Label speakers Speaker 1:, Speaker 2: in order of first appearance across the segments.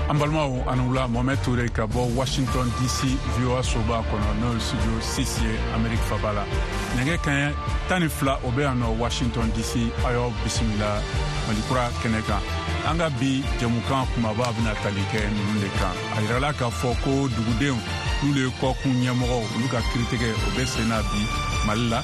Speaker 1: An balimaw, a ni wula. Mohamɛd Ture ka bɔ Washington DC, VOA soba kɔnɔ, n'o ye studio 6 ye Amerique faba la. Nɛgɛ kaɲɛ 12, o bɛ yan nɔ Washington DC. Aw y'aw bisimila Malikura kɛnɛ kan. An ka bi jɛmukan kumaba bɛna tali kɛ ninnu de kan. A yirala k'a fɔ ko dugudenw, n'olu ye kɔkun ɲɛmɔgɔw, olu ka kiritigɛ, o bɛ sen na bi Mali la.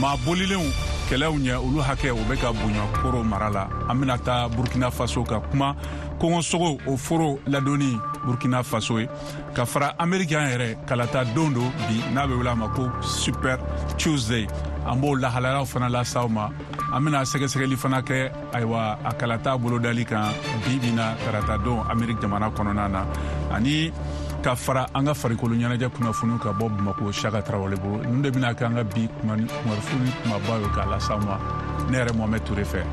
Speaker 1: Maa bolilenw kɛlɛw ɲɛ, olu hakɛ, o bɛ ka bonya Koro mara la. An bɛna taa Burkina Faso ka kuma kɔngɔsogo o foro ladonni Burkina Faso ye. Ka fara Ameriki yɛrɛ kalata don don bi, n'a bɛ wele a ma ko Super Tuesday, an b'o lahalayaw fana las'aw ma. An bɛna sɛgɛsɛgɛli fana kɛ, ayiwa, a kalata bolodali kan bi bi na, tarata don, Ameriki jamana kɔnɔna na, ani ka fara an ka farikolo ɲɛnajɛ kunnafoniw ka bɔ Bamako, Saka Tarawele bolo. Ninnu de bɛna kɛ an ka bi kunnafoni kumabaw ye k'a las'aw ma ne yɛrɛ Mohamɛd Ture fɛ.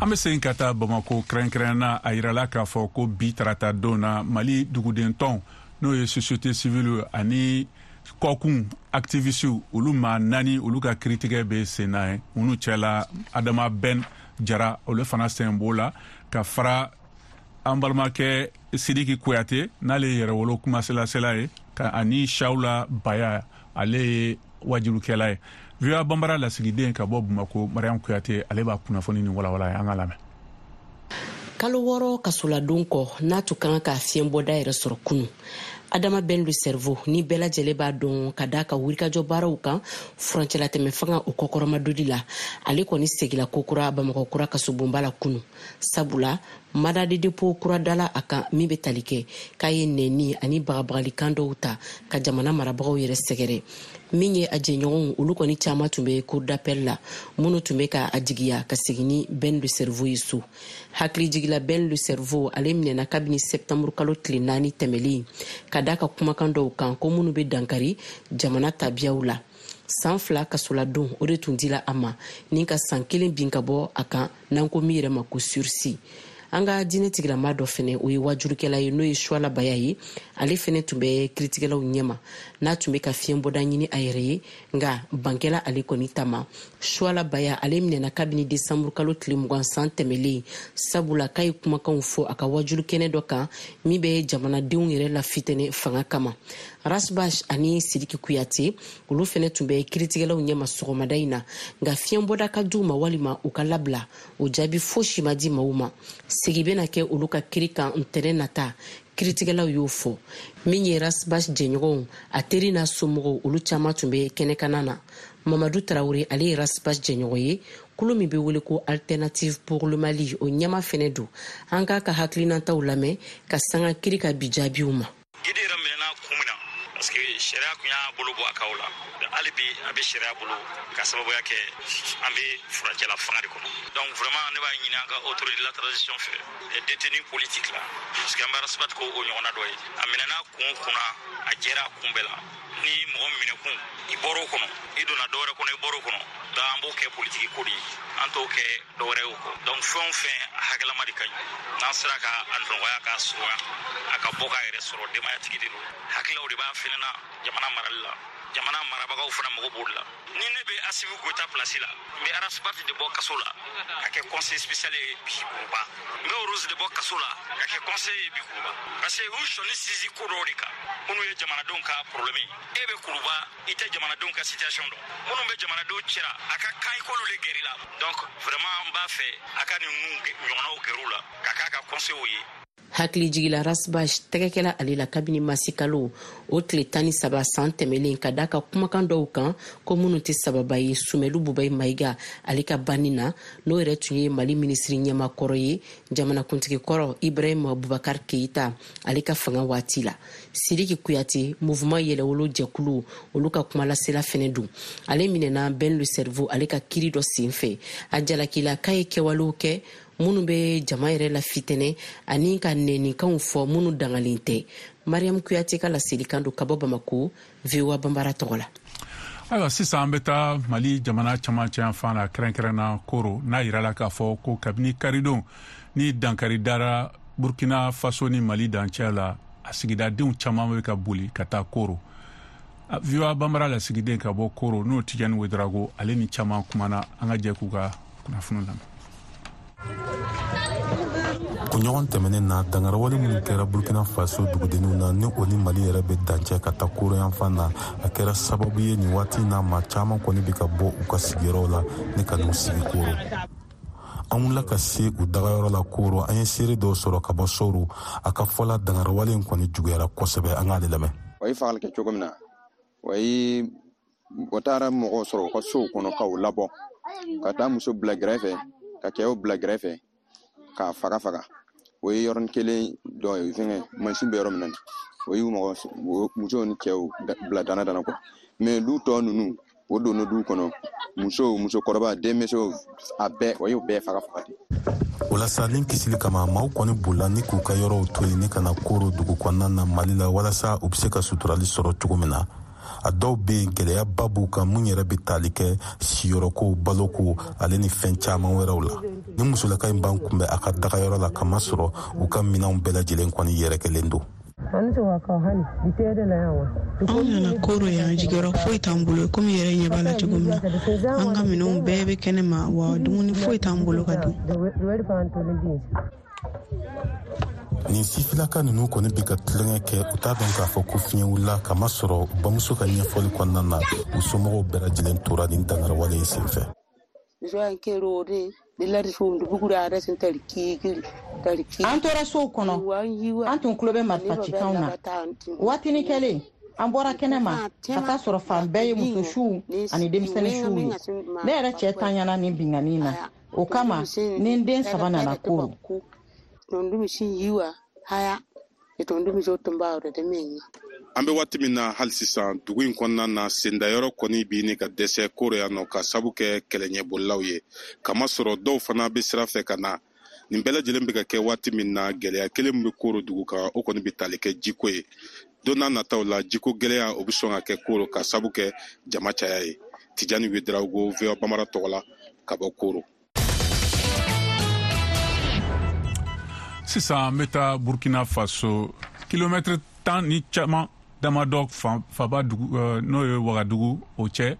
Speaker 1: An bɛ segin ka taa Bamako kɛrɛnkɛrɛn na. A yirala k'a fɔ ko bi tarata don na, Mali duguden tɔn, n'o ye société civile ani kɔkun activistew, olu maa naani, olu ka kiritigɛ bɛ sen na ye. Minnu cɛla, Adama Ben Jara, olu fana sen b'o la, ka fara an balimakɛ Sidiki Kuyate, n'ale ye yɛrɛwolo kumaselasela ye, ka ani Shawula Baya, ale ye wajulukɛla ye. VOA Banbara lasigiden ka bɔ Bamako, Mariam Kuyate, ale b'a kunnafoni ni walawala ye. An ka lamɛn.
Speaker 2: Kalo 6 kasoladon kɔ, n'a tun kan ka fiɲɛbɔda yɛrɛ sɔrɔ kunu, Adama Ben le Cerveau, ni bɛɛ lajɛlen b'a dɔn ka da ka wulikajɔ baaraw kan furancɛlatɛmɛ fanga o kɔkɔrɔmadoli la, ale kɔni segila kokura Bamakɔ kura kasobonba la kunu, sabula mandat de dépôt kura dala a kan min bɛ tali kɛ k'a ye nɛni ani bagabagalikan dɔw ta ka jamana marabagaw yɛrɛ sɛgɛrɛ. Min ye a jɛɲɔgɔnw, olu kɔni caaman tun bɛ cour d'appel la, minnu tun bɛ ka a jigiya ka segin ni Ben le Cerveau ye so. Hakilijigila, Ben le Cerveau, ale minɛna kabini septembre kalo tile 4 tɛmɛlen, ka da ka kumakan dɔw kan ko minnu bɛ dankari jamana tabiyaw la. San 2 kasoladon, o de tun dila a ma, ni ka san 1 bin ka bɔ a kan, n'an ko min yɛrɛ ma ko sursis. An ka diinɛ tigilama dɔ fɛnɛ, o ye wajurukɛla ye, n'o ye Suwala Baya ye, ale fɛnɛ tun bɛ kiritigɛlaw ɲɛma, n'a tun bɛ ka fiɲɛbɔda ɲini a yɛrɛ ye, nka bankɛla ale kɔni ta ma. Suwala Baya, ale minɛna kabini desanburu kalo tile 20 san tɛmɛlen, sabula k'a ye kumakanw fɔ a ka wajulu kɛnɛ dɔ kan min bɛ jamanadenw yɛrɛ lafitɛnɛ fanga kama. Ras Bath ani Sidiki Kuyate, olu fɛnɛ tun bɛ kiritigɛlaw ɲɛma sɔgɔmada in na, nka fiɲɛbɔda ka d'u ma walima u ka labila, o jaabi fosi ma di maaw ma. Segi bɛna kɛ olu ka kiri kan ntɛnɛn nata, kiritigɛlaw y'o fɔ. Min ye Ras Bath jɛɲɔgɔnw, a teri n'a somɔgɔw, olu caaman tun bɛ kɛnɛkana na. Mamadu Tarawure, ale ye Ras Bath jɛɲɔgɔn ye, kulu min bɛ wele ko Alternative pour le Mali, o ɲɛma fɛnɛ don. An k'a ka hakilinataw lamɛn ka sanga kiri ka bi jaabiw ma.
Speaker 3: Gidi yɛrɛ minɛna kun min na, parce que sariya kun y'a bolo bɔ a kaw la. Hali bi a bɛ sariya bolo, ka sababuya kɛ an bɛ furancɛla fanga de kɔnɔ. Donc vraiment, ne b'a ɲini an ka autorité de la transition fɛ, les détenus politiques la, parce que an bɛ Ras Bath ko o ɲɔgɔnna dɔ ye. A minɛna kun o kunna, a jɛra a kun bɛɛ la. Ni mɔgɔ minɛ kun, i bɔr'o kɔnɔ, i donna dɔwɛrɛ kɔnɔ, i bɔr'o kɔnɔ. Donc an b'o kɛ politiki ko de ye, an t'o kɛ dɔwɛrɛ ye o kɔ. Donc fɛn o fɛn, a hakɛlama de ka ɲi. N'an sera ka a nɔgɔya, k'a surunya, a ka bɔ k'a yɛrɛ sɔrɔ. Denbayatigi de don, hakililaw de b'a fɛnɛ na jamana marali la. Jamana marabagaw fana mago b'o de la. Ni ne bɛ Asimi Goyita place la, n bɛ Ras Bath de bɔ kaso la ka kɛ conseil spécial ye bi Kuruba. N bɛ Rose de bɔ kaso la ka kɛ conseiller ye bi Kuruba, parce que u sɔnni sisi ko dɔw de kan minnu ye jamanadenw ka problème ye. E bɛ Kuruba, i tɛ jamanadenw ka situation dɔn. Minnu bɛ jamanadenw cɛra, a ka kan i k'olu de gɛrɛ la. Donc vraiment, n b'a fɛ a ka ninnu ɲɔgɔnnaw gɛr'u la ka k'a ka conseil ye.
Speaker 2: Hakilijigila, Ras Bath tɛgɛkɛla ale la kabini masikalo o tile 13 san tɛmɛlen, ka da ka kumakan dɔw kan ko minnu tɛ sababa ye Sumɛlu Bubayi Mayiga, ale ka banni na, n'o yɛrɛ tun ye Mali minisiri ɲɛma kɔrɔ ye, jamanakuntigi kɔrɔ Ibrahim Bubakar Keyita, ale ka fanga waati la. Sidiki Kuyate, Mouvement Yɛlɛwolo jɛkulu, olu ka kumalasela fɛnɛ don, ale minɛna Ben le Cerveau ale ka kiri dɔ sen fɛ. A jalakila k'a ye kɛwalew kɛ minnu bɛ jama yɛrɛ la fitɛnɛ ani ka nɛnikanw fɔ minnu dangalen tɛ. Mariam Kuyate ka laselikan don ka bɔ Bamako, VOA Banbara tɔgɔ la.
Speaker 1: Ayiwa, sisan an bɛ taa Mali jamana camancɛ yanfan na, kɛrɛnkɛrɛnna Koro, n'a yirala k'a fɔ ko kabini karidon ni dankari dara Burkina Faso ni Mali dancɛ la. A sigidadenw caman bɛ ka boli ka taa Koro. VOA Banbara lasigiden ka bɔ Koro, n'o Tijani Wedrago, ale ni caman kumana. An ka jɛ k'u ka kunnafoni lamɛn.
Speaker 4: Kunɲɔgɔn tɛmɛnen na, dangarawale minnu kɛra Burkina Faso dugudenninw na, ni o ni Mali yɛrɛ bɛ dancɛ ka taa Koro yanfan na, a kɛra sababu ye nin waati na, maa caman kɔni bɛ ka bɔ u ka sigiyɔrɔw la ni ka n'u sigi Koro. An wulila ka se u dagayɔrɔ la Koro. An ye seere dɔw sɔrɔ ka bɔ Sɔro. A ka fɔla, dangarawale in kɔni juguyara kosɛbɛ. An k'ale lamɛn.
Speaker 5: O ye fagali kɛ cogo min na, o ye o taara mɔgɔw sɔrɔ u ka sow kɔnɔ ka u labɔ ka taa muso bila gɛrɛfɛ, ka cɛw bila gɛrɛfɛ, k'a faga faga. O ye yɔrɔnin kelen dɔ ye, fɛngɛ mansin bɛ yɔrɔ min na, o y'u mɔgɔ musow ni cɛw bila dana dana quoi. Mais du tɔ ninnu, o donna du kɔnɔ, musow, musokɔrɔba, denmisɛnw, a bɛɛ, o y'o bɛɛ faga faga ten.
Speaker 4: O la sa, ni kisili kama, maaw kɔni bolila ni k'u ka yɔrɔw to yen ni ka na Koro dugu kɔnɔna na Mali la, walasa u bɛ se ka suturali sɔrɔ cogo min na. A dɔw bɛ yen, gɛlɛyaba b'u kan, mun yɛrɛ bɛ tali kɛ siyɔrɔko, baloko, ale ni fɛn caman wɛrɛw la. Ni musolaka in b'an kunbɛn a ka dagayɔrɔ la, kamasɔrɔ u ka minɛnw bɛɛ lajɛlen kɔni yɛrɛkɛlen don.
Speaker 6: Anw nana Koro yan, jigiyɔrɔ foyi t'an bolo. Komi yɛrɛ ɲɛ b'a la cogo min na, an ka minɛnw bɛɛ bɛ kɛnɛ ma, wa dumuni foyi t'an bolo ka dun.
Speaker 4: Nin sifilaka ninnu kɔni bɛ ka tulonkɛ kɛ, u t'a dɔn k'a fɔ ko fiɲɛ wulila, kamasɔrɔ u bamuso ka ɲɛfɔli kɔnɔna na, u somɔgɔw bɛɛ lajɛlen tora nin dangarawale in senfɛ.
Speaker 7: An tora sow kɔnɔ, an tun tulo bɛ marifacikanw na. Waatinin kɛlen, an bɔra kɛnɛ ma ka taa sɔrɔ fan bɛɛ ye muso suw ani denmisɛnnin suw ye. Ne yɛrɛ cɛ tanyana nin binkanni na, o kama ni n den saba nana Koro.
Speaker 8: An bɛ waati min na hali sisan, dugu in kɔnɔna na, sendayɔrɔ kɔni bɛ ɲini ka dɛsɛ Koro yan nɔ, ka sabu kɛ kɛlɛɲɛbolilaw ye, kamasɔrɔ dɔw fana bɛ sira fɛ ka na. Nin bɛɛ lajɛlen bɛ ka kɛ waati min na, gɛlɛya kelen min bɛ Koro dugu kan, o kɔni bɛ tali kɛ jiko ye. Don n'a nataw la, jiko gɛlɛya o bɛ sɔn ka kɛ Koro, ka sabu kɛ jama caya ye. Tijani Wedrago, VOA Bamara tɔgɔ la, ka bɔ Koro.
Speaker 1: Sisan an bɛ taa Burkina Faso, kilomɛtiri 10 ni caman damadɔ faba dugu, n'o ye Wagadugu, o cɛ.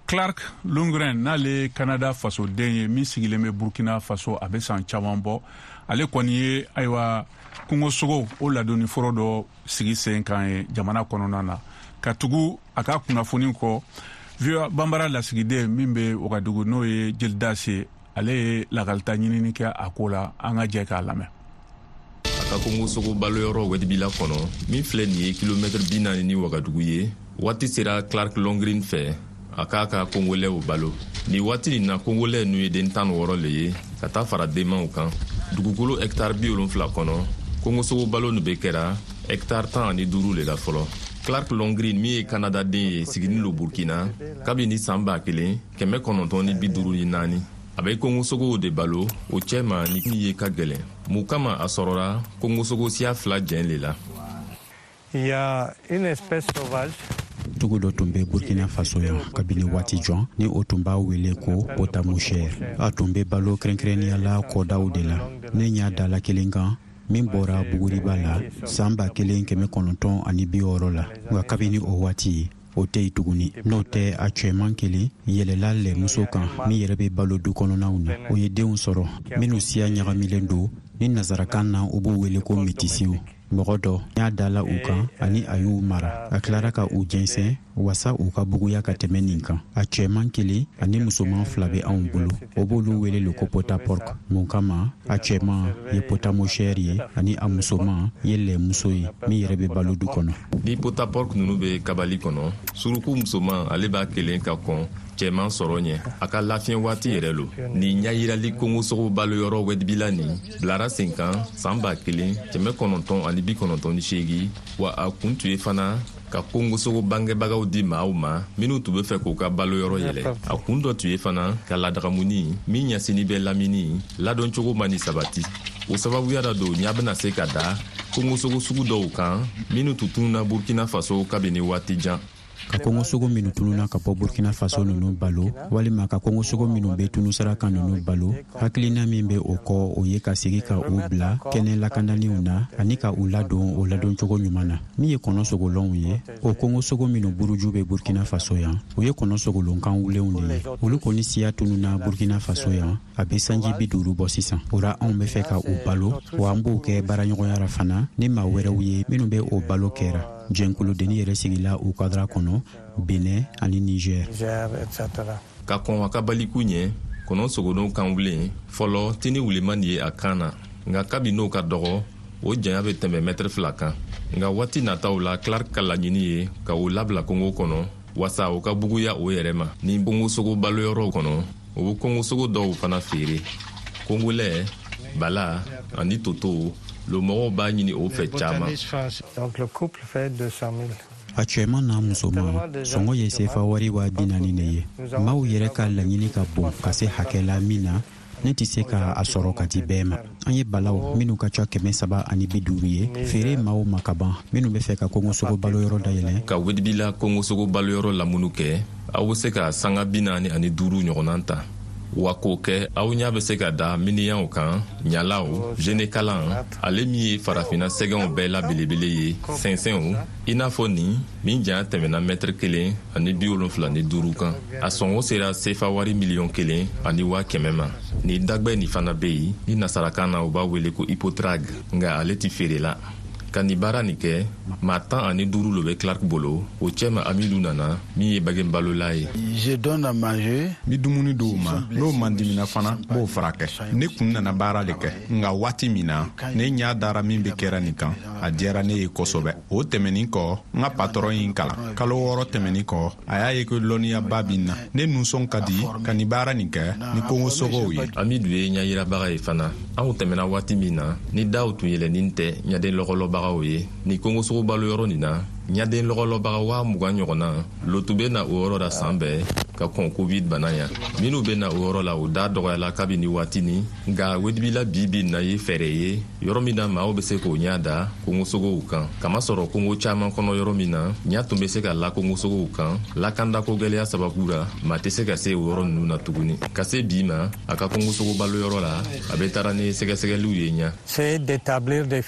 Speaker 1: Clark Lundgren, n'ale ye Canada fasoden ye min sigilen bɛ Burkina Faso, a bɛ san caman bɔ. Ale kɔni ye, ayiwa, kungosogo o ladonni foro dɔ sigi sen kan ye jamana kɔnɔna na. Ka tugu a ka kunnafoni kɔ, VOA Banbara lasigiden min bɛ Wagadugu, n'o ye Jelidasi ye, ale ye lakalita ɲinini kɛ a ko la. An ka jɛ k'a lamɛn.
Speaker 9: A ka kungosogo baloyɔrɔ Wɛdibila kɔnɔ, min filɛ nin ye kilomɛtiri 40 ni Wagadugu ye, waati sera Clark Longrin fɛ a k'a ka kongolɛw balo. Nin waati nin na, kongolɛ nu ye den 16 le ye ka taa fara denmanw kan. Dugukolo hɛktare 70 kɔnɔ, kongosogo balo nu be kɛra hɛktare 15 le la fɔlɔ. Clark Longrin, min ye Kanada den ye, siginin lo Burkina kabini san 1954. A bɛ kongosogow de balo o cɛma ni min ye ka gɛlɛn. Mun kama a sɔrɔra kongosogo siya fila jɛn le la.
Speaker 10: Il y a une espèce sauvage.
Speaker 11: Dugu dɔ tun bɛ Burkina Faso yan kabini waati jan, ni o tun b'a wele ko potamochère. A tun bɛ balo kɛrɛnkɛrɛnnenya la kɔdaw de la. Ne ɲa dala kelen kan min bɔra Buguriba la san 1960 la, nka kabini o waati o tɛ yen tuguni. N'o tɛ, a cɛman kelen yɛlɛla lɛmuso kan min yɛrɛ bɛ balo du kɔnɔnaw na. O ye denw sɔrɔ minnu siya ɲagamilen don, ni nazarakan na u b'u wele ko metisiw. Mɔgɔ dɔ y'a dala u kan ani a y'u mara. A tilara ka u jɛnsɛn wasa u ka buguya ka tɛmɛ nin kan. A cɛman kelen ani musoman fila bɛ anw bolo, o b'olu wele le ko potaporc. Mun kama a cɛman ye potamochère ye ani a musoman ye lɛmuso ye min yɛrɛ bɛ balo du kɔnɔ.
Speaker 9: Ni potaporc nunu bɛ kabali kɔnɔ, suruku musoman ale b'a kelen ka kɔn cɛman sɔrɔ ɲɛ a ka lafiɲɛ waati yɛrɛ lo. Nin ɲayirali kongosogo baloyɔrɔ Wɛdibila nin bilara sen kan san 1998, wa a kun tun ye fana ka kongosogo bangebagaw di maaw ma minw tun be fɛ k'u ka baloyɔrɔ yɛlɛ. A kun dɔ tun ye fana ka ladagамuni min ɲɛsini bɛ lamini ladɔn cogo ma ni sabati. O sababuya ra don ɲa bena se ka da kongosogo sugu dɔw kan minw tun tununa Burkina Faso kabini waati jan.
Speaker 11: Ka kongosogo minnu tununa ka bɔ Burkina Faso ninnu balo, walima ka kongosogo minnu bɛ tunusira kan ninnu balo, hakilina min bɛ o kɔ, o ye ka segi ka u bila kɛnɛ lakanalenw na ani ka u ladon o ladoncogo ɲuman na. Min ye kɔnɔ sogolonw ye, o kongosogo minnu buruju bɛ Burkina Faso yan, o ye kɔnɔ sogolon kan wulenw de ye. Olu kɔni siya tununa Burkina Faso yan a bɛ sanji 50 bɔ sisan. O ra, anw bɛ fɛ ka u balo, wa an b'o kɛ baaraɲɔgɔnya ra fana ni maa wɛrɛw ye minnu bɛ o balo kɛra. Jɛnkuludenni yɛrɛ sigila o kadara kɔnɔ Benin ani Niger.
Speaker 9: Ka kɔn a ka baliku ɲɛ, kɔnɔ sogolon kan wulen fɔlɔ tini wuleman ye a kan na, nka kabi n'o ka dɔgɔ, o janya bɛ tɛmɛ mɛtɛrɛ 2 kan. Nka waati nataw la, Clark ka laɲini ye ka o labila kongo kɔnɔ wasa o ka buguya o yɛrɛ ma. Ni kongosogo baloyɔrɔw kɔnɔ, o bɛ kongosogo dɔw fana feere. Kongolɛ, bala ani toto lo mɔgɔw b'a ɲini o fɛ caman.
Speaker 11: A cɛman n'a musoman sɔngɔ ye sefa wari 40 000 de ye. Maaw yɛrɛ ka laɲini ka bon ka se hakɛ la min na, ne tɛ se ka a sɔrɔ ka di bɛɛ ma. An ye balaw minnu ka ca 350 ye feere maaw ma ka ban minnu bɛ fɛ ka kongosogo baloyɔrɔ dayɛlɛ.
Speaker 9: Ka Wedibila kongosogo baloyɔrɔ lamunu kɛ, aw bɛ se ka sanga 45 ɲɔgɔnna ta. Wa k'o kɛ, aw ɲa bɛ se ka da miniyanw kan, ɲalaw, jenekalan, ale min ye farafinna sɛgɛnw bɛɛ la belebele ye, sɛnsɛnw, i n'a fɔ nin min janya tɛmɛna mɛtiri 1 75 kan. A sɔngɔ sera sefa wari 1,1 miliyɔn ma. Nin dagbɛ nin fana bɛ yen ni nasarakan na u b'a wele ko hippotrague, nka ale tɛ feere la. Ka nin baara nin kɛ, maa 15 lo bɛ Clark bolo. O cɛma Amidu nana, min ye bagen balola ye.
Speaker 1: N bi dumuni dɔw ma, n'o mandimina fana, n b'o furakɛ. Ne kun nana baara le kɛ, nka waati min na ne ɲa dara min be kɛra nin kan, a diyara ne ye kosɛbɛ. O tɛmɛnin kɔ, n ka patɔrɔn ye n kalan. Kalo 6 tɛmɛnin kɔ, a y'a ye ko lɔnniyaba bi n na. Ne nusɔn ka di ka nin baara nin kɛ ni kongosogow ye.
Speaker 9: Amidu ye ɲayirabaga ye fana. Anw tɛmɛna waati min na ni daw tun yɛlɛnin tɛ ɲaden lɔgɔlɔbagaw ye ni kongosogo baloyɔrɔ nin na, ɲaden lɔgɔlɔbaga 20 000 ɲɔgɔnna lo tun bɛ na o yɔrɔ la san bɛɛ ka kɔn Covid bana ya. Minnu bɛ na o yɔrɔ la, o da dɔgɔyala kabini waati ni. Nka Wedibila bi bi na ye fɛɛrɛ ye yɔrɔ min na maaw bɛ se k'o ɲa da kongosogow kan, kamasɔrɔ kongo caman kɔnɔ, yɔrɔ min na ɲa tun bɛ se ka la kongosogow kan, lakandako gwɛlɛya sababu ra, maa tɛ se ka se o yɔrɔ ninnu na tuguni. Ka se bi ma, a ka kongosogo baloyɔrɔ la, a bɛ taara ni sɛgɛsɛgɛliw ye ɲa.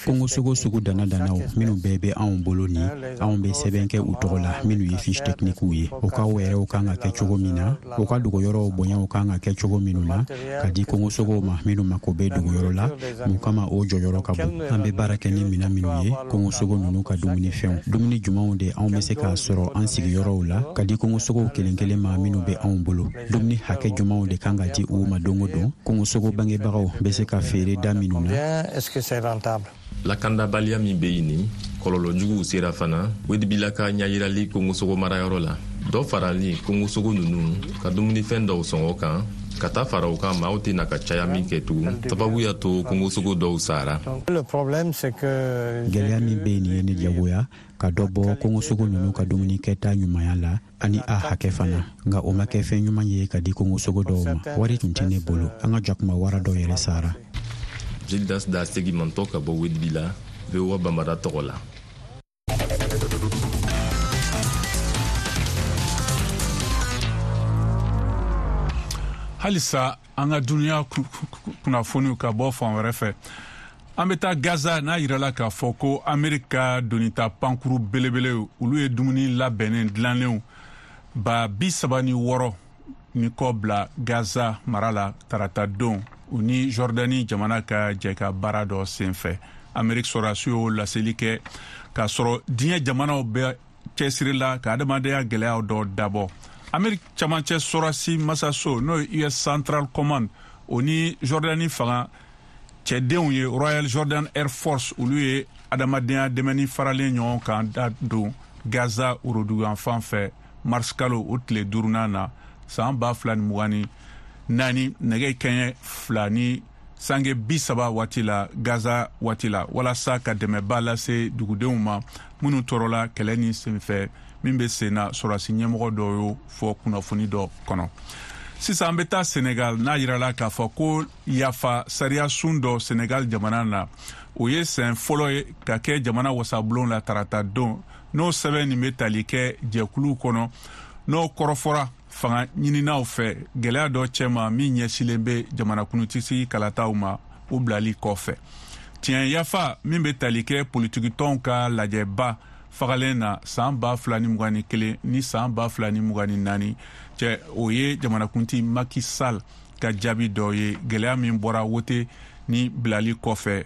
Speaker 11: Kongosogo sugu dana danaw minnu bɛɛ bɛ anw bolo ni anw bɛ sɛbɛn kɛ u tɔgɔ la, minnu ye fiche technique ye, u ka wɛrɛw kan ka kɛ cogo min na, u ka dogoyɔrɔw bonyaw kan ka kɛ cogo minnu na ka di kongosogow ma minnu mako bɛ dogoyɔrɔ la, mun kama o jɔyɔrɔ ka bon. An bɛ baara kɛ ni minɛn minnu ye, kongosogo ninnu ka dumunifɛnw, dumuni jumɛnw de anw bɛ se k'a sɔrɔ an sigiyɔrɔw la ka di kongosogow kelen kelen ma minnu bɛ anw bolo, dumuni hakɛ jumɛnw de kan ka di u ma don o don, kongosogo bangebagaw bɛ se ka feere da minnu na.
Speaker 9: Lakandabaliya min bɛ yen nin kɔlɔlɔ juguw sera fana Wedibila ka ɲayirali kongosogo marayɔrɔ la. Dɔ farali kongosogo ninnu ka dumunifɛn dɔw sɔngɔ kan, ka taa fara o kan, maaw tɛna ka caya min kɛ tugun, sababu y'a to kongosogo dɔw sara.
Speaker 11: Gɛlɛya min bɛ yen nin ye ne jagoya ka dɔ bɔ kongosogo ninnu ka dumuni kɛta ɲumanya la ani a hakɛ fana, nka o ma kɛ fɛn ɲuman ye ka di kongosogo dɔw ma. Wari tun tɛ ne bolo. An ka jakuma wara dɔw yɛrɛ sara.
Speaker 9: Gildas da segimantɔ ka bɔ Wedibila, VOA Bambara tɔgɔ la.
Speaker 1: Halisa an ka duniya kunnafoniw ka bɔ fan wɛrɛ fɛ, an bɛ taa Gaza. N'a yirala k'a fɔ ko Amerika ka donita pankuru belebele, olu ye dumuni labɛnnen dilannenw 36,000 ni kɔ bila Gaza mara la tarata don, u ni Jordani jamana ka jɛ ka baara dɔ sen fɛ. Ameriki sɔrɔdasiw y'o laseli kɛ k'a sɔrɔ diɲɛ jamanaw bɛ cɛsiri la ka adamadenya gɛlɛyaw dɔ dabɔ. Ameriki camancɛ sɔrɔdasi masaso, n'o ye US Central Command, o ni Jordani fanga cɛdenw ye, Royal Jordan Air Force, olu ye adamadenya dɛmɛni faralen ɲɔgɔn kan da don Gaza woroduguyanfan fɛ mars kalo o tile duurunan na san 2024, nɛgɛ kɛɲɛ 2 ni sange 30 waati la Gaza waati la, walasa ka dɛmɛba lase dugudenw ma minnu tɔɔrɔla kɛlɛ ni senfɛ min bɛ sen na. Sɔrɔdasi ɲɛmɔgɔ dɔw y'o fɔ kunnafoni dɔ kɔnɔ. Sisan an bɛ taa Senegal, n'a yirala k'a fɔ ko yafa sariya sun dɔ Senegal jamana na, o ye sɛn fɔlɔ ye ka kɛ jamana wasabulon la tarata don. N'o sɛbɛn nin bɛ tali kɛ jɛkulu kɔnɔ, n'o kɔrɔfɔra fanga ɲininaw fɛ gɛlɛya dɔ cɛma min ɲɛsilen bɛ jamanakuntigi kalataw ma o bilali kɔfɛ. Tiɲɛ yafa min bɛ tali kɛ politikitɔnw ka lajɛba fagalen na san 2021 ni san 2024 cɛ, o ye jamanakuntigi Macky Sall ka jaabi dɔ ye gɛlɛya min bɔra wote ni bilali kɔfɛ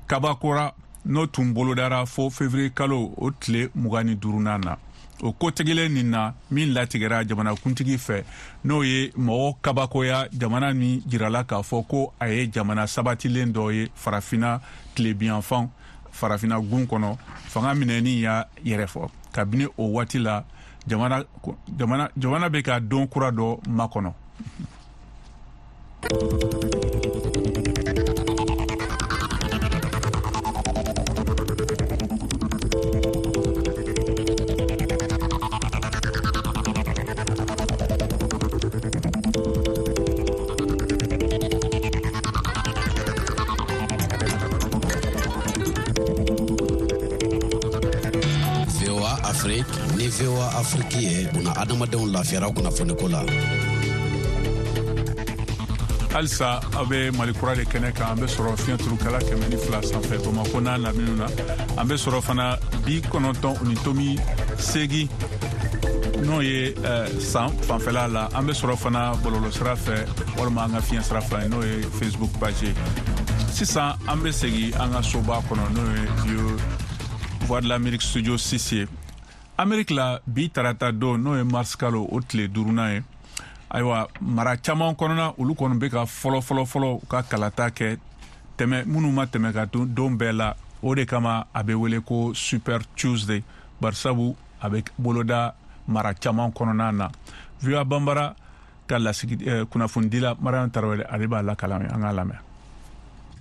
Speaker 1: kabakora, n'o tun bolodara fo février kalo o tile 25nan na. O kotigɛlen nin na min latigɛra jamanakuntigi fɛ, n'o ye mɔgɔ kabakoya, jamana min jirala k'a fɔ ko a ye jamana sabatilen dɔ ye Farafina tilebiyanfan, Farafina gun kɔnɔ, fanga minɛni y'a yɛrɛ fɔ. Kabini o waati la, jamana bɛ ka don kura dɔ makɔnɔ.
Speaker 12: VOA Afrique ni VOA Afrique ye buna adamadenw lafiyara kunnafoniko la.
Speaker 1: Halisa aw bɛ Mali Kura de kɛnɛ kan. An bɛ sɔrɔ fiɲɛ turukala 102 sanfɛ Bamakɔ n'a laminiw na. An bɛ sɔrɔ fana 90.8, n'o ye san fanfɛla la. An bɛ sɔrɔ fana bɔlɔlɔsira fɛ walima an ka fiɲɛ sira fila ye, n'o ye Facebook page ye. Sisan an bɛ segin an ka soba kɔnɔ, n'o ye Voix de l'Amérique studio 6 ye Amérique la. Bi tarata don, n'o ye mars kalo o tile duurunan ye, ayiwa, mara caman kɔnɔna, olu kɔni bɛ ka fɔlɔ fɔlɔ fɔlɔ ka kalata kɛ tɛmɛ minnu ma tɛmɛ ka don bɛɛ la. O de kama a bɛ wele ko Super Tuesday, barisabu a bɛ boloda mara caman kɔnɔna na. VOA Banbara ka lasigi kunnafonidila Mariam Tarawele, ale b'a lakalan, an k'a lamɛn.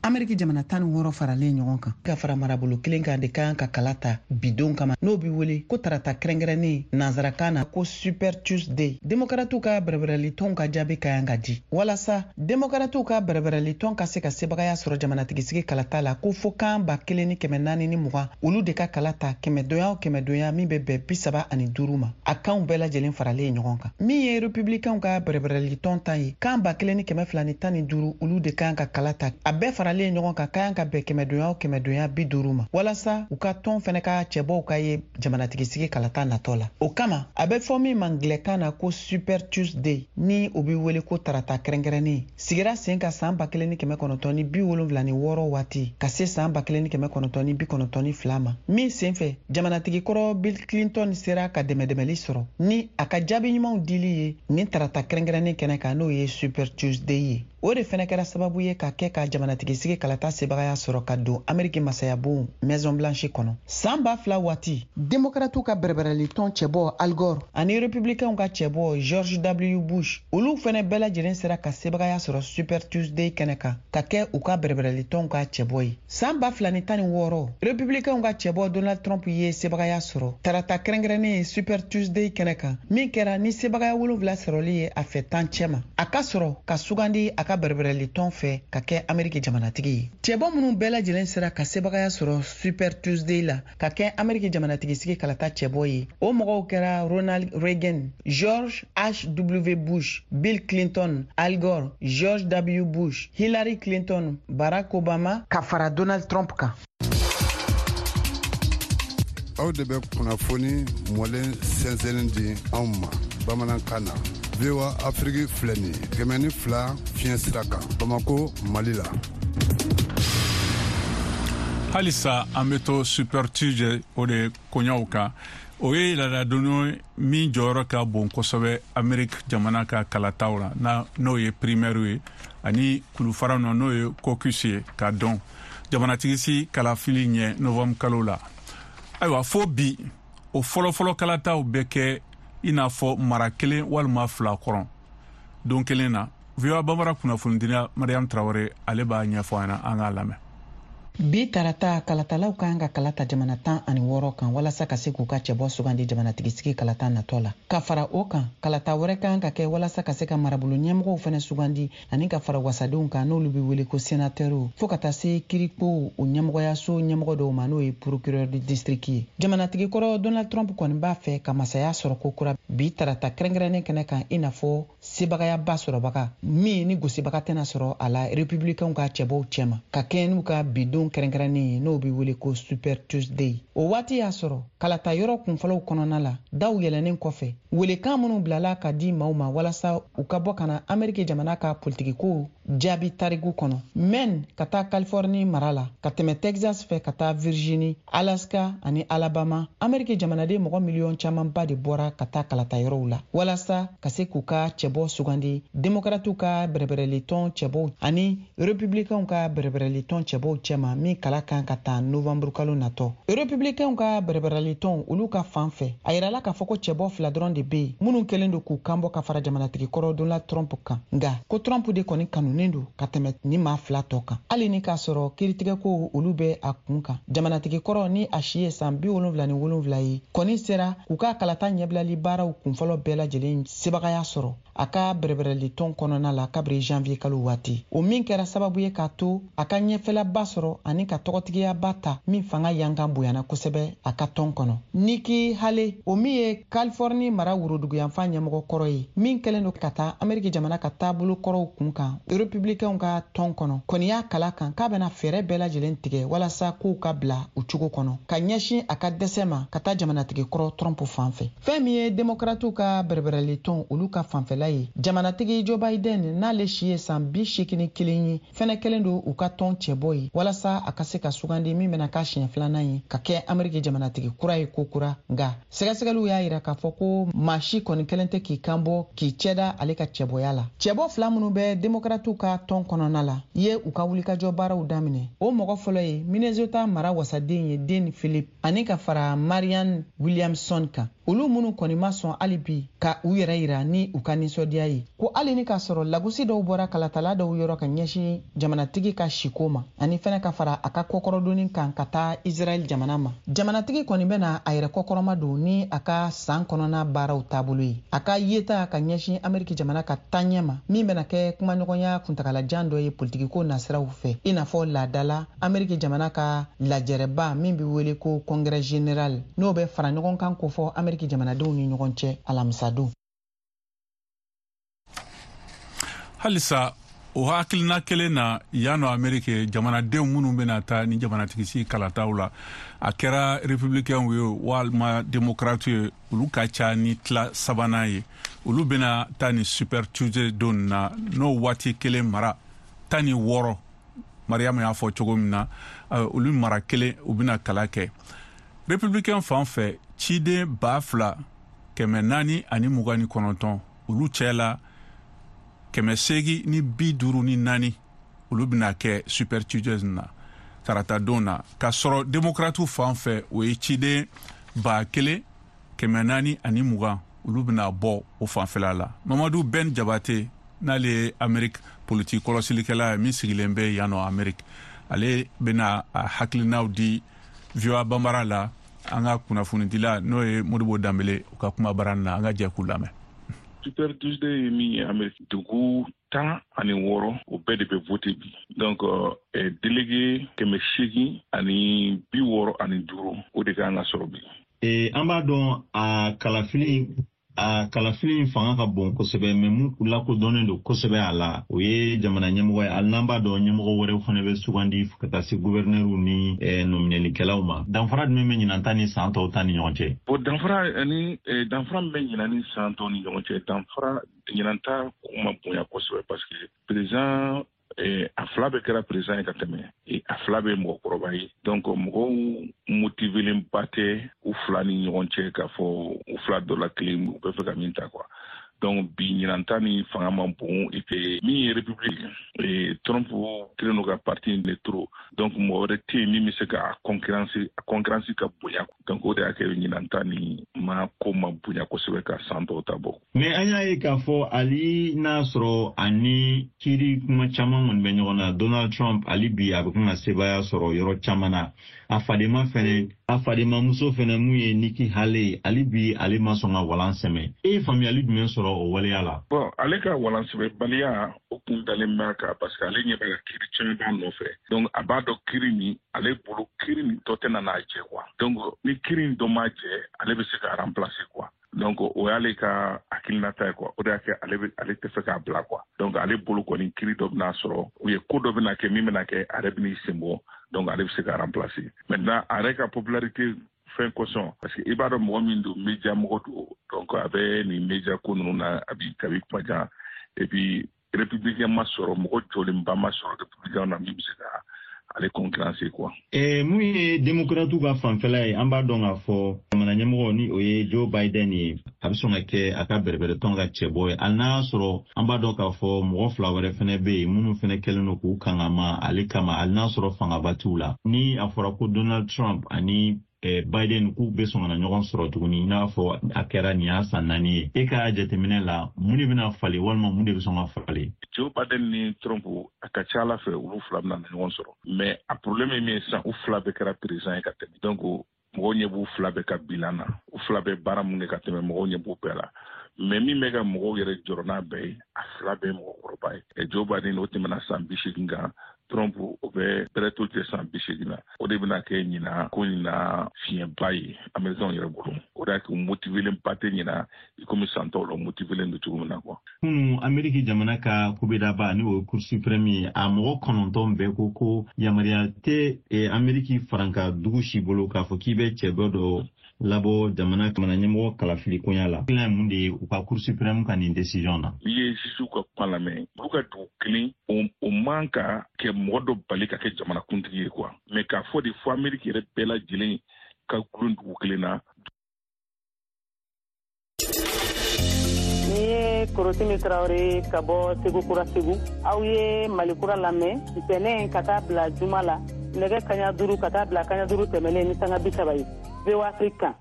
Speaker 13: Ameriki jamana 16 faralen ɲɔgɔn kan ka fara marabolo kelen kan de ka kan ka kala ta bidon kama, n'o bi wele ko tarata kɛrɛnkɛrɛnnen, nansarakan na ko Super Tuesday. Demokaratiw ka bɛrɛbɛrɛlitɔnw ka jaabi ka kan ka di walasa Demokaratiw ka bɛrɛbɛrɛlitɔn ka se ka sebagaya sɔrɔ jamanatigisigi kalata la, ko fo kan 1420, olu de ka kala ta kɛmɛdonya o kɛmɛdonya, min bɛ bɛn 35 ma, a kanw bɛɛ lajɛlen faralen ɲɔgɔn kan. Min ye Republicainw ka bɛrɛbɛrɛlitɔn ta ye, kan 1215, olu de kan ka kala ta, a bɛɛ faralen ɲɔgɔn kan, ka kan ka bɛn kɛmɛdonya o kɛmɛdonya 50 ma, walasa u ka tɔn fɛnɛ ka cɛbɔw ka ye jamanatigisigi kalata natɔ la. O kama a bɛ fɔ min ma ngilɛkan na ko Super Tuesday, ni o bɛ wele ko tarata kɛrɛnkɛrɛnnen, sigira sen ka san 1976 waati ka se san 1992 ma, min senfɛ jamanatigi kɔrɔ Bill Clinton sera ka dɛmɛdɛmɛli sɔrɔ ni a ka jaabi ɲumanw dili ye nin tarata kɛrɛnkɛrɛnnen kɛnɛ kan, n'o ye Super Tuesday ye. O de fɛnɛ kɛra sababu ye ka kɛ ka jamanatigisigi kalata sebagaya sɔrɔ ka don Ameriki masayabon Maison Blanche kɔnɔ. San 2000 waati, Demokratiw ka bɛrɛbɛrɛlitɔn cɛbɔ Al Gore ani Republicainw ka cɛbɔ George W Bush, olu fɛnɛ bɛɛ lajɛlen sera ka sebagaya sɔrɔ Super Tuesday kɛnɛ kan ka kɛ u ka bɛrɛbɛrɛlitɔnw ka cɛbɔ ye. San 2016, Republicainw ka cɛbɔ Donald Trump ye sebagaya sɔrɔ tarata kɛrɛnkɛrɛnnen ye Super Tuesday kɛnɛ kan, min kɛra ni sebagaya wolonfila sɔrɔli ye a fɛ 10 cɛma, a ka sɔrɔ ka sugandi a ka bɛrɛbɛrɛlitɔn fɛ ka kɛ Ameriki jamanatigi ye. Cɛbɔ minnu bɛɛ lajɛlen sera ka sebagaya sɔrɔ Super Tuesday la ka kɛ Ameriki jamanatigisigi kalata cɛbɔ ye, o mɔgɔw kɛra Ronald Reagan, George H W Bush, Bill Clinton, Al Gore, George W Bush, Hillary Clinton, Barack Obama ka fara Donald Trump kan.
Speaker 14: Aw de bɛ kunnafoni mɔlen sɛnsɛnnin di anw ma bamanankan na. VOA Afiriki filɛ nin ye, 102 fiɲɛ sira kan, Bamako, Mali la.
Speaker 1: Halisa an bɛ to Super Tuesday o de koɲaw kan. O ye laadadon min jɔyɔrɔ ka bon kosɛbɛ Ameriki jamana ka kalataw la, na n'o ye primaire ye ani kulufara nɔ, n'o ye caucus ye, ka dɔn jamanatigisi kalafili ɲɛ novembre kalo la. Ayiwa, fo bi o fɔlɔfɔlɔ kalataw bɛ kɛ i n'a fɔ mara kelen walima fila kɔrɔ don kelen na. VOA Bambara kunnafonidila Mariam Tarawele, ale b'a ɲɛfɔ an ɲɛna, an k'a lamɛn.
Speaker 13: Bi tarata, kalatalaw ka kan ka kala ta jamana 16 kan walasa ka se k'u ka cɛbɔ sugandi jamanatigisigi kalata natɔ la. Ka fara o kan, kalata wɛrɛ ka kan ka kɛ walasa ka se ka marabolo ɲɛmɔgɔw fɛnɛ sugandi ani ka fara wasadenw kan, n'olu bɛ wele ko senatɛriw, fo ka taa se kirikow o ɲɛmɔgɔyaso ɲɛmɔgɔ dɔw ma, n'o ye procureur du district ye. Jamanatigi kɔrɔ Donald Trump kɔni b'a fɛ ka masaya sɔrɔ kokura bi tarata kɛrɛnkɛrɛnnen kɛnɛ kan, i n'a fɔ sebagayaba sɔrɔbaga min ni gosibaga tɛna sɔrɔ a la republicainw ka cɛbɔw cɛma, ka kɛɲɛ n'u ka bidon kɛrɛnkɛrɛnnen ye, n'o bɛ wele ko Super Tuesday. O waati y'a sɔrɔ kalata yɔrɔ kunfɔlɔw kɔnɔna la, daw yɛlɛnnen kɔfɛ, welekan minnu bilala ka di maaw ma walasa u ka bɔ ka na Ameriki jamana ka politikikow jaabi tariku kɔnɔ, Maine ka taa Californie mara la, ka tɛmɛ Texas fɛ ka taa Virginie, Alaska ani Alabama, Ameriki jamanaden mɔgɔ miliyɔn camanba de bɔra ka taa kalata yɔrɔw la walasa ka se k'u ka cɛbɔ sugandi Demokratiw ka bɛrɛbɛrɛlitɔn cɛbɔw ani Republicainw ka bɛrɛbɛrɛlitɔn cɛbɔw cɛma, min kala kan ka ta novanburu kalo natɔ. Republicainw ka bɛrɛbɛrɛlitɔn, olu ka fan fɛ, a yirala k'a fɔ ko cɛbɔ fila dɔrɔn de bɛ yen minnu kɛlen don k'u kanbɔ ka fara jamanatigi kɔrɔ Donald Trump kan, nka ko Trump de kɔni kanunen don ka tɛmɛ ni maa fila tɔ kan, hali ni k'a sɔrɔ kiritigɛkow olu bɛ a kun kan. Jamanatigi kɔrɔ ni a si ye san 77 ye kɔni sera k'u ka kalata ɲɛbilali baaraw kunfɔlɔ bɛɛ lajɛlen sebagaya sɔrɔ a ka bɛrɛbɛrɛlitɔn kɔnɔna la kabiri janvier kalo waati, o min kɛra sababu ye k'a to a ka ɲɛfɛlaba sɔrɔ ani ka tɔgɔtigiyaba ta min fanga yankan bonyana kosɛbɛ a ka tɔn kɔnɔ. Nikki Haley, o min ye Californie mara woroduguyanfan ɲɛmɔgɔ kɔrɔ ye, min kɛlen don ka taa Ameriki jamana ka taabolo kɔrɔw kun kan Republicainw ka tɔn kɔnɔ, kɔni y'a kala kan k'a bɛna fɛɛrɛ bɛɛ lajɛlen tigɛ walasa kow ka bila u cogo kɔnɔ ka ɲɛsin a ka dɛsɛ ma ka taa jamanatigi kɔrɔ Trump fan fɛ. Fɛn min ye Demokratiw ka bɛrɛbɛrɛlitɔn olu ka fanfɛla ye, jamanatigi Joe Biden, n'ale si ye san 81 ye, fɛnɛ kɛlen don u ka tɔn cɛbɔ ye walasa a ka se ka sugandi min bɛna k'a siɲɛ filanan ye ka kɛ Ameriki jamanatigi kura ye kokura. Nka sɛgɛsɛgɛliw y'a yira k'a fɔ ko maa si kɔni kɛlen tɛ k'i kan bɔ k'i cɛda ale ka cɛbɔya la. Cɛbɔ fila minnu bɛ Demokratiw ka tɔn kɔnɔna la ye u ka wulikajɔ baaraw daminɛ. O mɔgɔ fɔlɔ ye Minnesota mara wasaden ye Dean Philip, ani ka fara Marianne Williamson kan, olu minnu kɔni ma sɔn hali bi ka u yɛrɛ yira ni u ka nisɔndiya ye, ko hali ni k'a sɔrɔ lagosi dɔw bɔra kalatala dɔw yɔrɔ ka ɲɛsin jamanatigi ka siko ma, ani fɛnɛ ka fara a ka kɔkɔrɔdonni kan ka taa Israɛl jamana ma. Jamanatigi kɔni bɛna a yɛrɛ kɔkɔrɔma don ni a ka san kɔnɔna baaraw taabolo ye, a ka yeta ka ɲɛsin Ameriki jamana ka taaɲɛ ma, min bɛna kɛ kumaɲɔgɔnya kuntagalajan dɔ ye politikiko nasiraw fɛ, i n'a fɔ laadala Ameriki jamana ka lajɛrɛba min bɛ wele ko Congrès général, n'o bɛ fara ɲɔgɔn kan kofɔ Ameriki jamanadenw ni ɲɔgɔn cɛ alamisadon.
Speaker 1: Halisa o hakilina kelen na yan nɔ Ameriki, jamanadenw minnu bɛna taa ni jamanatigisigi kalataw la, a kɛra républicain ye walima démocrate ye, olu ka ca ni tila sabanan ye. Olu bɛna taa ni Super Tuesday don na, n'o waati kelen mara 16, Mariam y'a fɔ cogo min na, olu mara kelen u bɛna kala kɛ. Républicain fan fɛ, ciden 2429, olu cɛ la 854 olu bɛna kɛ Super Tuesday na tarata don na, k'a sɔrɔ démocrate fan fɛ o ye ciden 1420, olu bɛna bɔ o fanfɛla la. Mamadu Ben Jabate, n'ale ye Amerique politique kɔlɔsilikɛla ye min sigilen bɛ yan nɔ Amerique, ale bɛna a hakilinaw di VOA Bambara la an ka kunnafonidila n'o ye Modibo Danbele u ka kuma baara na, an ka jɛ k'u lamɛn.
Speaker 15: Super Tuesday ye min ye Amerique, dugu 16 o bɛɛ de bɛ voter bi. Donc délégué 865 o de kan ka sɔrɔ bi.
Speaker 16: An b'a dɔn a kalafili fanga ka bon kosɛbɛ, mais mun lakodɔnnen don kosɛbɛ a la, o ye jamana ɲɛmɔgɔ ye. Hali n'an b'a dɔn ɲɛmɔgɔ wɛrɛw fana bɛ sugandi ka taa se guvɛrnɛriw ni nɔminɛlikɛlaw ma, danfara jumɛn bɛ ɲinan ta ni san tɔw ta ni ɲɔgɔn cɛ?
Speaker 15: Bon, danfara ani danfara min bɛ ɲinan ni san tɔw ni ɲɔgɔn cɛ, danfara ɲinan ta ma bonya kosɛbɛ, parce que président, a fila bɛɛ kɛra président ye ka tɛmɛ, a fila bɛ mɔgɔkɔrɔba ye. Donc mɔgɔw motivelenba tɛ u fila ni ɲɔgɔn cɛ k'a fɔ u fila dɔ la kelen u bɛ fɛ ka min ta quoi. Donc bi ɲinan ta ni fanga man bon. Et puis min ye république, Trump kɛlen don ka parti de trop, donc mɔgɔ wɛrɛ tɛ yen min bɛ se ka concurrence, a concurrence ka bonya. Donc o de y'a kɛ ɲinan ta ni ma ko ma bonya kosɛbɛ ka san tɔw ta bɔ.
Speaker 16: Mais an y'a ye k'a fɔ hali n'a sɔrɔ ani kiiri kuma caman kɔni bɛ ɲɔgɔn na, Donald Trump hali bi a bɛ kan ka sebaaya sɔrɔ yɔrɔ caman na. A fadenma fɛnɛ, a fadenmamuso fɛnɛ mun ye Nikki Haley, hali bi ale ma sɔn ka walan sɛmɛ. E ye faamuyali jumɛn sɔrɔ o waleya la?
Speaker 15: Bon, ale ka walan sɛmɛbaliya, o kun dalen b'a kan parce que ale ɲɛ b'a la kiiri caman b'a nɔfɛ. Donc a b'a dɔn kiiri nin, ale bolo kiiri nin dɔ tɛna n'a jɛ quoi. Donc ni kiiri nin dɔ m'a jɛ, ale bɛ se ka remplacer quoi. Donc o y'ale ka hakilinata ye quoi. O de y'a kɛ ale tɛ fɛ k'a bila quoi. Donc ale bolo kɔni kiiri dɔ bɛna sɔrɔ ou ye ko dɔ bɛna kɛ min bɛna kɛ a yɛrɛ bɛn'i sen bɔ, donc ale bɛ se ka remplacer. Maintenant a yɛrɛ ka popularité fɛn kosɔn, parce que i b'a dɔn mɔgɔ min don, média mɔgɔ don, donc a bɛ nin média ko ninnu na a bi kabi kuma jan. Et puis républicain ma sɔrɔ, mɔgɔ jɔlenba ma sɔrɔ républicain na min bɛ se ka ale concurrencer quoi.
Speaker 16: Mun ye démocrates ka fanfɛla ye, an b'a dɔn k'a fɔ jamana ɲɛmɔgɔ ni o ye Joe Biden ye, a bɛ sɔn ka kɛ a ka bɛrɛbɛrɛtɔn ka cɛbɔ ye, hali n'a y'a sɔrɔ an b'a dɔn k'a fɔ mɔgɔ fila wɛrɛ fɛnɛ bɛ yen minnu fɛnɛ kɛlen don k'u kangama ale kama, hali n'a sɔrɔ fangaba t'u la. Ni a fɔra ko Donald Trump ani Biden k'u bɛ sɔn ka na ɲɔgɔn sɔrɔ tuguni, i n'a fɔ a kɛra nin y'a san 4 ye, e ka jateminɛ la mun de bɛna falen walima mun de bɛ sɔn ka falen?
Speaker 15: Joe Biden ni Trump, a ka ca ala fɛ olu fila bɛna na ɲɔgɔn sɔrɔ, mais a problème ye min ye sisan, u fila bɛɛ kɛra président ye ka tɛmɛ. Donc mɔgɔw ɲɛ b'u fila bɛɛ ka bilan na, u fila bɛɛ baara mun kɛ ka tɛmɛ, mɔgɔw ɲɛ b'u bɛɛ la. Mais min bɛ ka mɔgɔw yɛrɛ jɔrɔ n'a bɛɛ ye, a fila bɛɛ ye mɔgɔkɔrɔba ye. Joe Biden o tɛmɛna san 80 kan, Trump o bɛ bɛrɛ to tɛ san 80 na. O de bɛna kɛ ɲinan ko ɲinan fiɲɛba ye américains yɛrɛ bolo. O de y'a kɛ u motivelen ba tɛ ɲinan i komi san tɔw la motivelen don cogo min na quoi.
Speaker 16: Kunu Ameriki jamana ka kubedaba ni o ye Cour suprême ye, a mɔgɔ 9 bɛɛ ko ko yamaruya tɛ Ameriki faranka dugu si bolo k'a fɔ k'i bɛ cɛbɔ dɔ labɔ jamana ɲɛmɔgɔ kalafili koɲa la. Hakilina ye mun de ye u ka Cour suprême ka nin décision na?
Speaker 15: N'i ye juge ka kuma lamɛn, olu ka dugu kelen o man ka kɛ mɔgɔ dɔ bali ka kɛ jamanakuntigi ye quoi. Mais k'a fɔ de fo Ameriki yɛrɛ bɛɛ lajɛlen ka gulon dugu kelen na.
Speaker 17: Ni ye Korotimi Traoré ka bɔ Segu Kura Segu, aw ye Mali Kura lamɛn ntɛnɛn ka taa bila juma la nɛgɛ 5:15 ka taa bila 5:15 tɛmɛnen ni sanga 30 ye. VOA Afrique kan.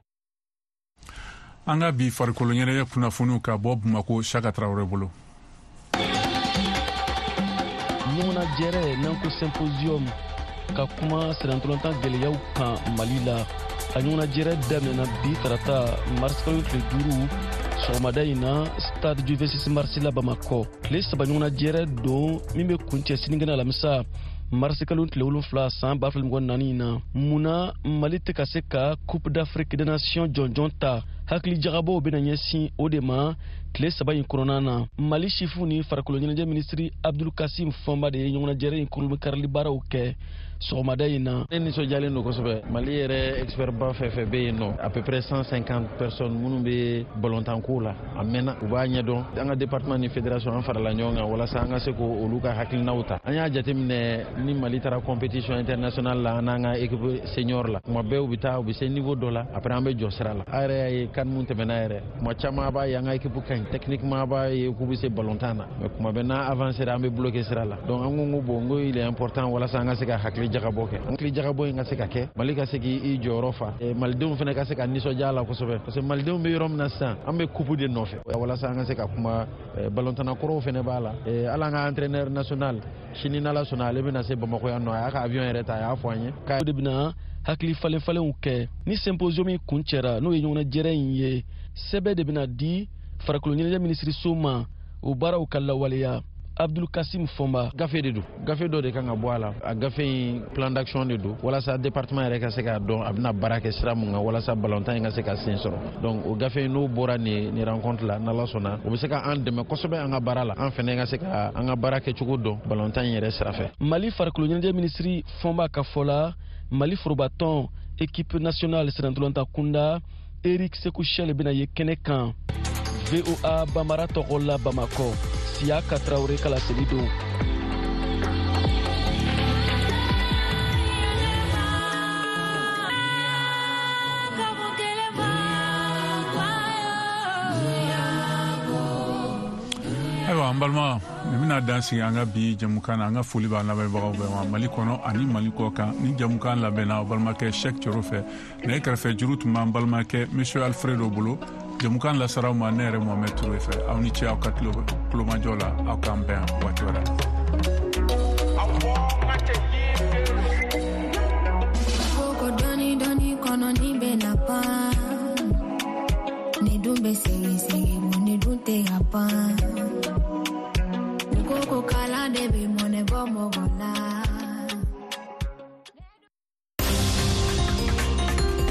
Speaker 1: An ka bi farikolo ɲɛnajɛ kunnafoniw ka bɔ Bamako, Saka Traoré bolo.
Speaker 18: Ɲɔgɔnnajɛrɛ n'an ko symposium ka kuma sennantolatan gɛlɛyaw kan Mali la. A ɲɔgɔnnajɛrɛ daminɛna bi tarata marisikalo tile 5 sɔgɔmada in na stade du 26 mars la Bamakɔ. Tile 3 ɲɔgɔnnajɛrɛ don min bɛ kuncɛ sinikɛnɛ alamisa marisikalo tile 7 san 2024 in na. Munna Mali tɛ ka se ka Coupe d'Afrique des Nations jɔnjɔn ta? Hakili jagabɔw bɛna ɲɛsin o de ma tile 3 in kɔnɔna na. Mali sifu ni farikolo ɲɛnajɛ minisiri Abdul Kasim Fɔnba de ye ɲɔgɔnnajɛrɛ in kurunbonkarili baaraw kɛ sɔgɔmada in na.
Speaker 19: Ne nisɔndiyalen don kosɛbɛ. Mali yɛrɛ expert ba fɛn fɛn bɛ yen nɔ, à peu près 150 personnes minnu bɛ balontanko la, a mɛnna u b'a ɲɛdɔn. An ka département ni fédération an farala ɲɔgɔn kan walasa an ka se k'olu ka hakilinaw ta. An y'a jateminɛ ni Mali taara compétition internationale la, an n'an ka équipe senior la, kuma bɛɛ u bɛ taa u bɛ se niveau dɔ la, après an bɛ jɔ sira la. A yɛrɛ y'a ye CAN mun tɛmɛna yɛrɛ, kuma caman a b'a ye an ka équipe ka ɲi techniquement, a b'a ye k'u bɛ se balontan na, mais kuma bɛɛ n'a avancé an bɛ bloqué sira la. Donc an ko bon, n ko il est important walasa an ka se ka hakili jagabɔ kɛ, hakili jagabɔ in ka se ka kɛ, Mali ka se k'i jɔyɔrɔ fa, malidenw fana ka se ka nisɔndiya la kosɛbɛ, parce que malidenw bɛ yɔrɔ min na sisan, an bɛ coupe de nɔfɛ walasa an ka se ka kuma. Balontanna kɔrɔw fana b'a la, hali an ka entraîneur national sini n'Ala sɔnna ale bɛna se Bamakɔ yan nɔ, a y'a ka avion yɛrɛ ta, a y'a fɔ an ye.
Speaker 18: O de bɛna hakili falen falenw kɛ ni symposium in kuncɛra, n'o ye ɲɔgɔnnajɛrɛ in ye. Sɛbɛn de bɛna di farikolo ɲɛnajɛ minisiriso ma o baaraw ka lawaleya. Abdul Kasim Fɔnba.
Speaker 19: Gafe de don, gafe dɔ de kan ka bɔ a la. A gafe in plan d'action de don walasa département yɛrɛ ka se k'a dɔn a bɛna baara kɛ sira mun kan walasa balontan in ka se ka sen sɔrɔ. Donc o gafe in n'o bɔra nin rencontre la, n'Ala sɔnna o bɛ se ka an dɛmɛ kosɛbɛ an ka baara la, an fɛnɛ ka se ka an ka baara kɛcogo dɔn balontan in yɛrɛ sira fɛ.
Speaker 18: Mali farikolo ɲɛnajɛ minisiri Fɔnba ka fɔ la, Mali forobatɔn équipe nationale sennantolatan kunda Eric Sekou Chelle bɛna ye kɛnɛ kan. VOA Bambara tɔgɔ la Bamakɔ, Siyaka Traoré ka laseli don.
Speaker 1: Ayiwa, an An balima, nin bɛna dan sigi an ka bi jɛmukan na. An ka foli b'an lamɛnbagaw bɛɛ ma, Mali kɔnɔ ani Mali kɔ kan. Ni jɛmukan labɛnna aw balimakɛ Shɛk Coro fɛ. Nɛgɛ kɛrɛfɛ juru tun b'an balimakɛ Monsieur Alfredo bolo. Jɛmukan lasara aw ma ne yɛrɛ Mohamɛd Ture fɛ. Aw ni ce aw ka tulomajɔ la. Aw k'an bɛn waati wɛrɛ.